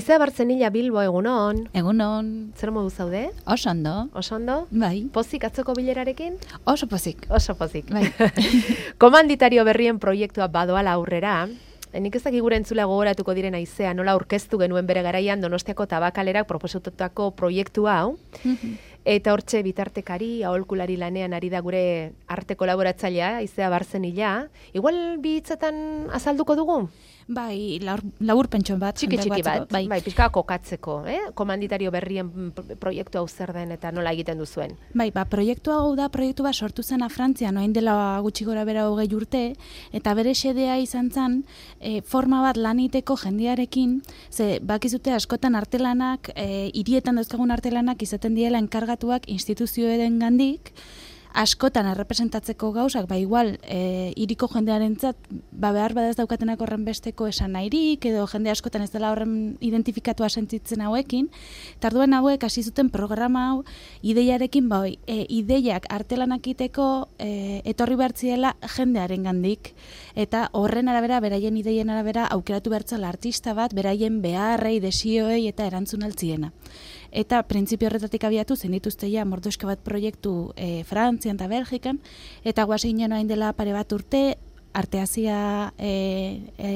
Aizea Bartzenilla Bilbo, egunon. Egunon. Zer modu zaude? Oso ondo. Oso ondo? Bai. Pozik atzoko bilerarekin? Oso pozik. Oso pozik. Bai. Komanditario berrien proiektua badoala aurrera, nik ez dakik gure entzule gogoratuko diren Aizea, nola aurkeztu genuen bere garaian Donostiako Tabakalerak proposatutako proiektua hau. Eta hortxe bitartekari, aholkulari lanean ari da gure arte kolaboratzailea, Aizea Bartzenilla. Igual bi hitzetan azalduko dugu? Bai, labur pentson bat. Txiki bat, bai, pixka kokatzeko, komanditario berrien proiektu hau zer den eta nola egiten duzuen. Bai, proiektu hau da, proiektu bat sortu zena Frantzian, orain dela gutxi gora bera 20 urte, eta bere xedea izan zen, forma bat laniteko jendearekin, ze bakizute askotan artelanak, hirietan dauzkagun artelanak izaten diela enkargatuak instituzioen gandik, askotan errepresentatzeko gauzak, igual, hiriko jendearentzat, behar badaz daukatenak horren besteko esan nahirik, edo jende askotan ez dela horren identifikatua sentitzen hauekin, eta orduan hauek hasi zuten programa hau, ideiarekin, ideiak artelanak iteko etorri behartziela jendearen gandik, eta horren arabera, beraien ideien arabera, aukeratu behartzala artista bat, beraien beharrei, desioei eta erantzun altziena. Eta printzipio horretatik abiatu zen dituzte ja mordoska bat proiektu Frantzian eta Belgikan, eta guazi ginen orain dela pare bat urte Arteazia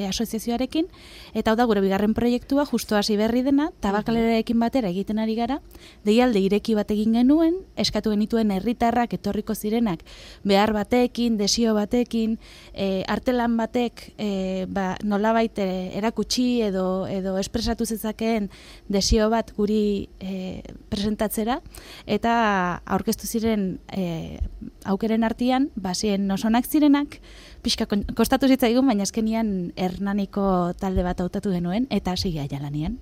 asoziazioarekin, eta hau da gure bigarren proiektua, justo hasi berri dena, Tabakalerarekin batera egiten ari gara, deialde ireki bat egin genuen, eskatu genituen herritarrak etorriko zirenak, behar batekin, desio batekin, artelan batek nolabait erakutsi edo espresatu zezakeen desio bat guri presentatzera, eta aurkeztu ziren aukeren artean, basien osonak zirenak, pixka kostatu zitzaigun, baina azkenian Hernaniko talde bat hautatu genuen, eta hasi gaia lanian.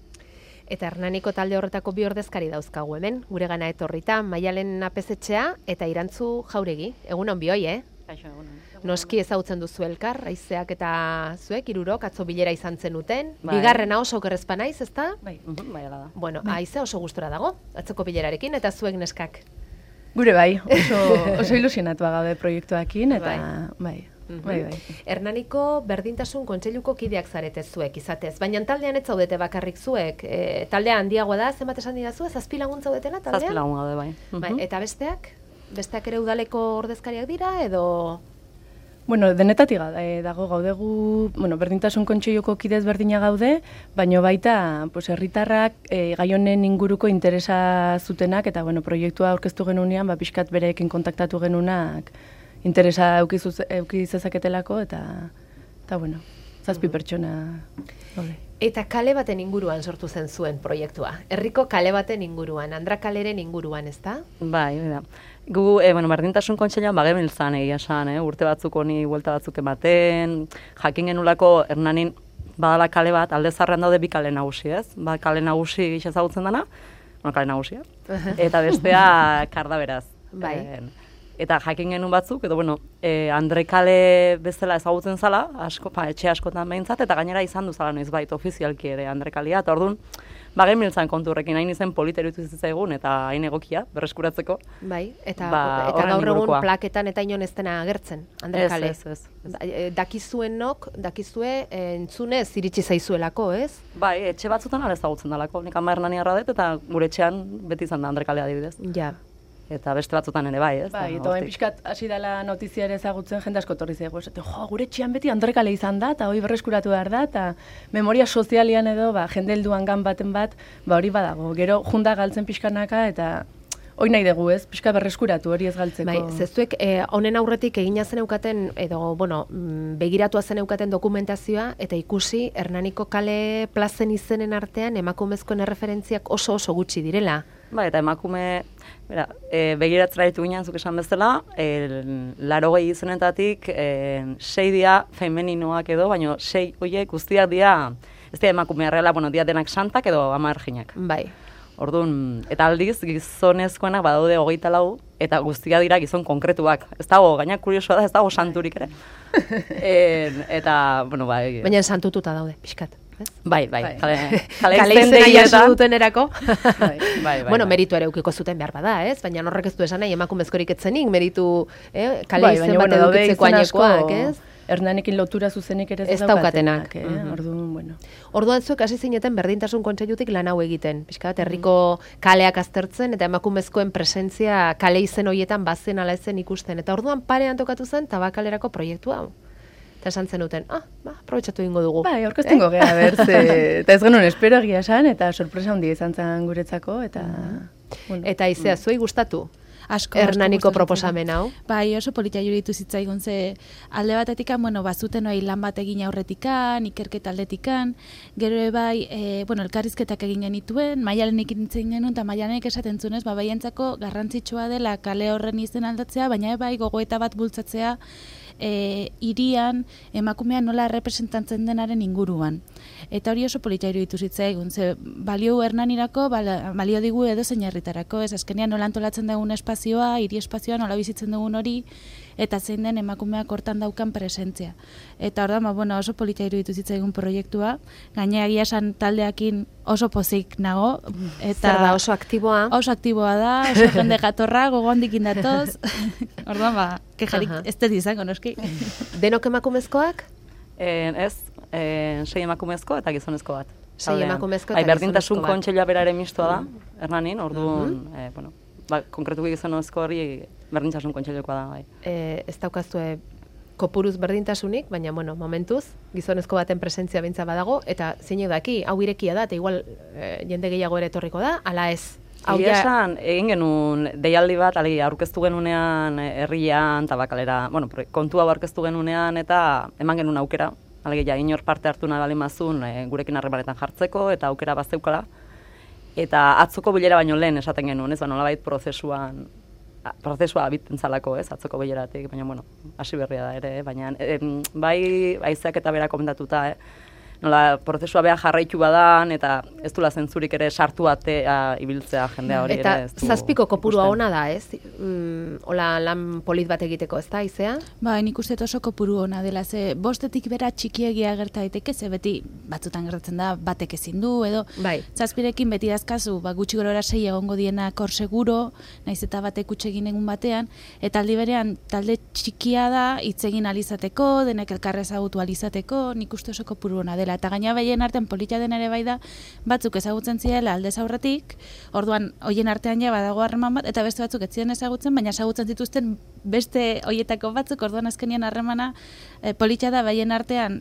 Eta Hernaniko talde horretako bi ordezkari dauzkagu hemen, gure gana etorrita, Maialen Apezetxea eta Irantzu Jauregi. Egunon bioi, Kaixo, egunon. Noski ezagutzen duzu elkar, Aizeak eta zuek, hirurok, atzo bilera izan zenuten. Bai. Bigarrena oso okerrezpa naiz, ezta? Bai, bai, ala da. Bueno, Aizea oso gustora dago, atzoko bilerarekin, eta zuek neskak. Gure bai, oso ilusionatua gaude proiektuakin, eta bai. Hernaniko berdintasun kontseiluko kideak zarete zuek izatez, baina taldean ez zaudete bakarrik zuek. Taldea handiagoa da, zenbat esan didazu, 7 lagun zaudetela taldean? 7 lagun gaude, bai. Eta besteak? Besteak ere udaleko ordezkariak dira, edo... Bueno, denetatik dago gaudegu, berdintasun kontseiluko kidez berdina gaude, baina baita herritarrak gai honen inguruko interesa zutenak, eta proiektua aurkeztu genunean, pixkat bereekin kontaktatu genunak, interesa euki zezaketelako, eta 7 pertsona gaude. Eta kale baten inguruan sortu zen zuen proiektua. Herriko kale baten inguruan, Andra kaleren inguruan, ezta? Bai, da. Gu, berdintasun kontseiluan bagebiltzan egia esan, urte batzuk honi buelta batzuk ematen, jakin genulako Hernanin badala kale bat, alde zarrean daude bi kale nagusi, ez? Kale nagusi gisa ezagutzen dana, kale nagusia, eta bestea Karda beraz. Bai. Eta jakin genuen batzuk, edo Andre kale bezala ezagutzen zala, etxe askotan behintzat, eta gainera izan duzala noizbait ofizialki ere Andre kalea, eta orduan, genbiltzan kontu horrekin, hain izen politerutu zitzaigun, eta hain egokia, berreskuratzeko. Bai, eta gaur egun plaketan eta inon ez dena agertzen, Andre kale. Ez. Dakizue entzunez iritsi zaizuelako, ez? Bai, etxe batzutan ala ezagutzen dalako, nik ama Hernaniarra dut, eta gure etxean beti izan da Andre kalea adibidez. Ja. Eta beste batzutan ere bai, ez? Bai, eta hain pixkat hasi dela notizia ere ezagutzen jende asko torri zaigu. Gure etxean beti Andre kale izan da, eta hori berreskuratu behar da, eta memoria sozialian edo, jende helduan gan baten bat, hori badago. Gero junda galtzen pixkanaka, eta hori nahi dugu, ez? Pixka berreskuratu hori ez galtzeko. Bai, zezuek honen aurretik egina zen eukaten, edo, begiratua zen eukaten dokumentazioa, eta ikusi Hernaniko kale plazen izenen artean emakumezkoen erreferentziak oso gutxi direla. Bai, eta emakume, begiratzera ditu ginen, zuk esan bezala, 80 izenetatik 6 dira femeninoak edo, baina 6 horiek guztiak dira, ez dira emakumea reala, dira denak santak edo ama erginak. Bai. Orduan, eta aldiz, gizonezkoenak badaude 24, eta guztia dira gizon konkretuak. Ez dago, gaina kuriosoa da, ez dago santurik ere. Eta, bai... Baina santututa daude, pixkat. Bai. Kale izena jaso duten erako. Bai. Bueno, meritu ere eukiko zuten behar bada, ez? Baina horrek ez du esan nahi emakumezkorik etzenik, meritu kale izen bat edukitzeko ainekoak, ez? Hernanekin lotura zuzenik ere ez daukatenak. Orduan, bueno. Orduan zuek hasi zineten berdintasun kontseilutik lan hau egiten. Pixka bat, herriko kaleak aztertzen eta emakumezkoen presentzia kale izen horietan bazen ala ezen ikusten. Eta orduan parean tokatu zen Tabakalerako proiektu hau. Eta esan zenuten, aprobetxatu egingo dugu. Bai, aurkeztengo gea, eta ez genuen espero egia esan, eta sorpresa handia izan zen guretzako, eta... Bueno. Eta izea, zuei gustatu? Asko Hernaniko proposamen hau. Bai, oso politia juritu zitzaigun ze alde batetik, bazuten lan bat egin aurretikan, ikerketa aldetikan, gero bai, elkarrizketak egin genituen, Maialenek nintzen genuen, eta Maialenek esaten zunez, baientzako garrantzitsua dela kale horren izen aldatzea, baina bai gogoeta bat bultzatzea, hirian emakumea nola representantzen denaren inguruan. Eta hori oso politia iruditu zitzaigun, ze balio Hernanirako, balio digu edo zein herritarako, ez azkenean nola antolatzen dugun espazioa, hiri espazioa nola bizitzen dugun hori, eta zein den emakumeak hortan daukan presentzia. Eta orduan, oso politia iruditu zitzaigun proiektua, gainera egia esan taldeakin oso pozik nago. Eta zer da, oso aktiboa? Oso aktiboa da, oso jende jatorra, gogondikin datoz. Orduan, kejarik ez dut izango, noski. Denok emakumezkoak? Ez, 6 emakumezko eta gizonezko bat. 6 emakumezko eta gizonezko bat. Berdintasun kontseilua beraren mistoa da, Hernanin, orduan, konkretuko gizonezko hori berdintasun kontseilukoa da. Bai. Ez daukazue kopuruz berdintasunik, baina, momentuz, gizonezko baten presentzia bintza badago, eta zeinek daki, hau irekia da, eta igual jende gehiago ere etorriko da, ala ez? Egia esan, egin genuen deialdi bat, aurkeztu genunean herrian, Tabakalera, kontu hau aurkeztu genunean, eta eman genuen aukera, alegia inor parte hartu nahi bali mazun gurekin harremanetan jartzeko, eta aukera bazeukala. Eta atzoko bilera baino lehen esaten genuen, ez, nolabait prozesua abiten zalako, ez, atzoko bileratik, baina, hasi berria da ere, baina, bai, haizeak eta bera komentatuta, nola, prozesua beha jarraitu badan, eta ez dula zentzurik ere sartu atea ibiltzea jendea hori ere. Eta zazpiko kopurua ona da, ez? Hola, lan polit bat egiteko, ez da, izea? Ba, nik uste oso kopuru ona dela, ze bostetik bera txikiegia gerta daiteke, ze beti batzutan gertatzen da, batek ezin du, edo zazpirekin beti dazkazu, gutxi gorora 6 egongo dienak hor seguro, naiz eta batek utxegin egun batean, eta aldi berean talde txikia da, hitz egin alizateko, denek elkarrez ezagutu alizateko, nik uste oso kopuru ona dela. Eta gaina behien artean politia den ere bai da, batzuk ezagutzen zirela aldez aurretik, orduan hoien artean ja badago harreman bat, eta beste batzuk ez ziren ezagutzen, baina ezagutzen zituzten beste hoietako batzuk, orduan azkenian harremana politia da behien artean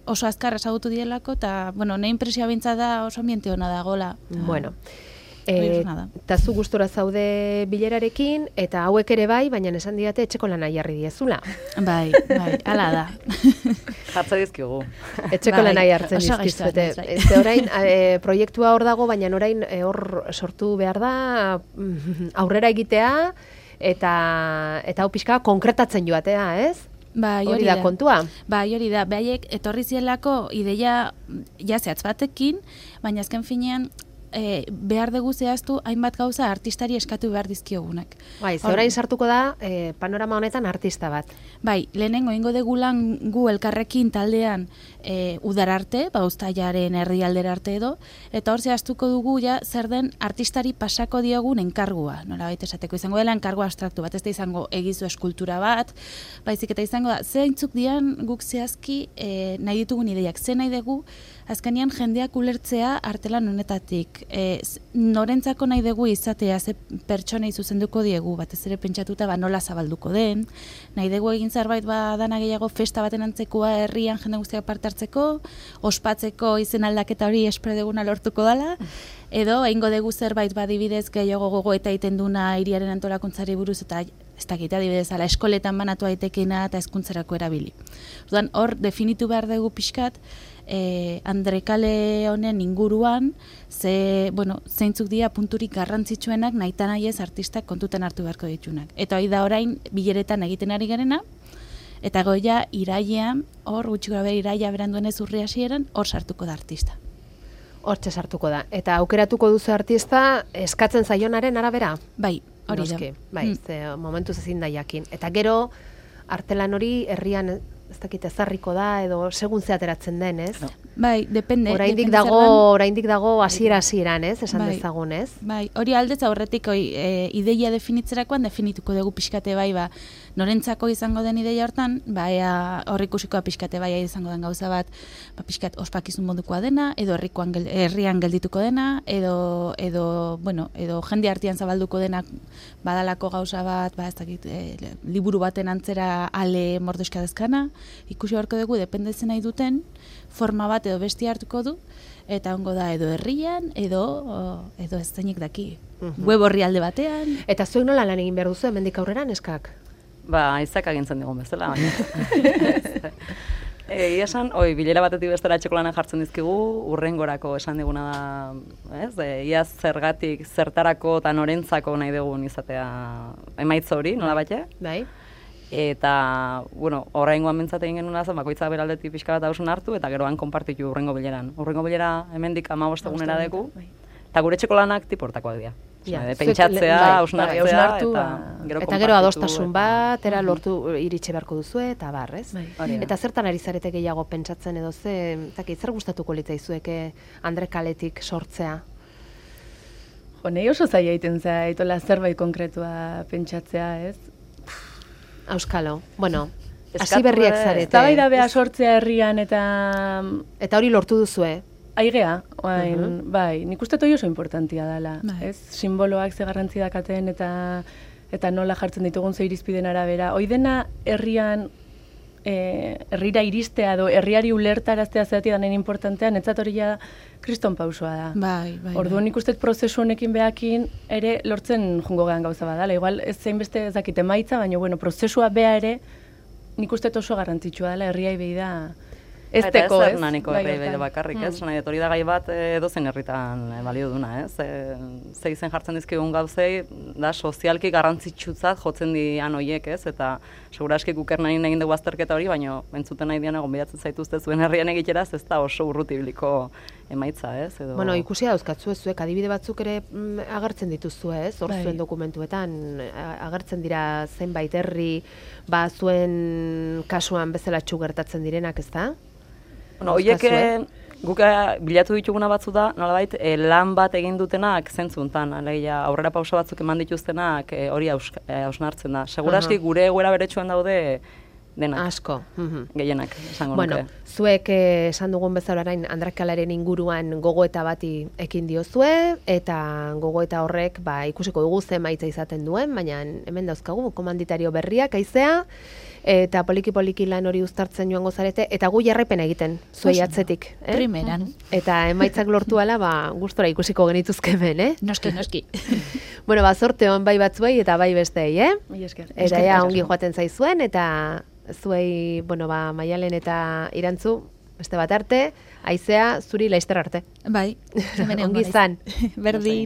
oso azkar ezagutu direlako, eta, ne impresioa bintza da oso ambiente hona dagoela. Bueno. Eta zu gustora zaude bilerarekin, eta hauek ere bai, baina esan didate etxeko lana jarri diezula. Bai, ala da. Jartza dizkigu. Etxeko lana jartzen dizkizuete. Ez orain, proiektua hor dago, baina orain hor sortu behar da, aurrera egitea, eta hau pixka konkretatzen joatea, ez? Bai, hori da kontua. Bai, hori da. Behaiek etorri zielako ideia jazeatz batekin, baina azken finean, behar dugu zehaztu hainbat gauza artistari eskatu behar dizkiogunak. Bai, orain sartuko da panorama honetan artista bat. Bai, lehenengo ingo degulan gu elkarrekin taldean udararte, uztailaren herrialdera arte edo, eta hor zehaztuko dugu ja zer den artistari pasako diogun enkargua. Nola baita esateko izango dela enkargua abstraktu bat, ez da izango egizu eskultura bat, baizik eta izango da, zeintzuk dian guk zehazki nahi ditugun ideiak, ze nahi dugu, azkenean jendeak ulertzea artelan honetatik. Norentzako nahi dugu izatea, ze pertsonei zuzenduko diegu, batez ere pentsatuta nola zabalduko den, nahi dugu egin zerbait dana gehiago festa baten antzekoa herrian jende guztiak parte hartzeko, ospatzeko izen aldaketa hori espero duguna lortuko dela, edo egingo dugu zerbait badibidez gehiago gogo eta egiten duna hiriaren antolakuntzari buruz eta ez dakit adibidez ala eskoletan banatu aitekena eta hezkuntzarako erabili. Orduan hor definitu behar dugu pixkat Andrekale honen inguruan zeintzuk dira punturik garrantzitsuenak nahita nahi ez artistak kontutan hartu beharko ditunak. Eta hori da orain bileretan egiten ari garena, eta goia irailean, hor gutxi gara iraila beranduenez urri hasieran, hor sartuko da artista. Hortxe sartuko da. Eta aukeratuko duzu artista eskatzen zaionaren arabera? Bai, hori da. Bai, momentuz ezin da jakin. Eta gero, artelan hori herrian ez dakit ezarriko da, edo segun ze ateratzen den, ez? No. Bai, depende. Oraindik dago hasieran, ez? Esan dezagun, ez? Bai, hori aldez aurretik ideia definitzerakoan definituko dugu pixkate bai, norentzako izango den ideia hortan, hor ikusikoa pixkate bai izango den gauza bat, pixkat ospakizun modukoa dena, edo herrian geldituko dena, edo jende artean zabalduko denak badalako gauza bat, ez dakit, liburu baten antzera ale mordoska dezkana, ikusi beharko dugu, dependetzen nahi duten, forma bat edo besti hartuko du, eta ongo da edo herrian, edo ez zainik daki. Web horri alde batean. Eta zuek nola lan egin behar duzu, hemendik aurrera, neskak? Aizak agintzen digun bezala. Ia esan, bilera batetik bestera etxeko lanak jartzen dizkigu, urrengorako esan diguna da, ez? Ia zergatik, zertarako eta norentzako nahi dugun izatea emaitza hori, nola bate? Bai. Eta, oraingoan mintzat egin genuen zen, bakoitza beraldetik pixka bat hausun hartu, eta geroan konpartitu urrengo bileran. Urrengo bilera hemendik 15 egunera dugu, eta gure etxeko lanak tiportakoak dira. Pentsatzea, hausnartzea, eta gero adostasun bat, lortu iritsi beharko duzue, eta bar, ez? Eta zertan ari zarete gehiago pentsatzen edo zer gustatuko litzaizueke Andre Kaletik sortzea? Nei oso zaila egiten zaitola zerbait konkretua pentsatzea, ez? Auskalo, hasi berriak zarete. Eztabaida beha sortzea herrian eta hori lortu duzue? Aigea, bai, nik uste toi oso importantia dela, ez? Simboloak ze garrantzi dakaten eta nola jartzen ditugun ze irizpiden arabera. Hoi dena herrian, herrira iristea edo herriari ulertaraztea zeratik danen importantea, netzat hori ja kriston pausoa da. Bai. Orduan nik uste prozesu honekin behakin ere lortzen jungo gehan gauza badala. Igual ez zein beste ez dakit emaitza, baina prozesua beha ere nik uste oso garrantzitsua dela herriai behi da. Ez teko, ez? Eta ez herri behi bakarrik, ez? Hori da gai bat edozein herritan balio duna, ez? Ze izen jartzen dizkigun gauzei, da sozialki garrantzitsutzat jotzen dian horiek, ez? Eta seguraski gukernain egin dugu azterketa hori, baina entzuten nahi dian gonbidatzen zaituzte zuen herrian egiteraz, ez da oso urrutibiliko emaitza, ez? Ikusi dauzkatzu zuek adibide batzuk ere agertzen dituzue, ez? Hor zuen dokumentuetan agertzen dira zenbait herri, zuen kasuan bezala gertatzen direnak, ez da? Horiek guk bilatu dituguna batzu da, nolabait lan bat egin dutenak zentzuntan, aurrera pauso batzuk eman dituztenak hori hausnartzen da. Seguraski gure egoera beretsuan daude denak. Asko. Gehienak, esango nuke. Zuek esan dugun bezala orain Andre Kalearen inguruan gogoeta bati ekin diozue, eta gogoeta horrek ikusiko dugu ze emaitza izaten duen, baina hemen dauzkagu komanditario berriak aizea, eta poliki-poliki lan hori uztartzen joango zarete, eta gu jarraipena egiten, zuei atzetik. Primeran. Eta emaitzak lortu ala, gustora ikusiko genituzke ben, Noski. Zorte hon bai batzuei eta bai bestei, Eta ongi joaten zaizuen, eta zuei, Maialen eta Irantzu, beste bat arte, aizea, zuri laizter arte. Bai. Ongi zan. Berdin.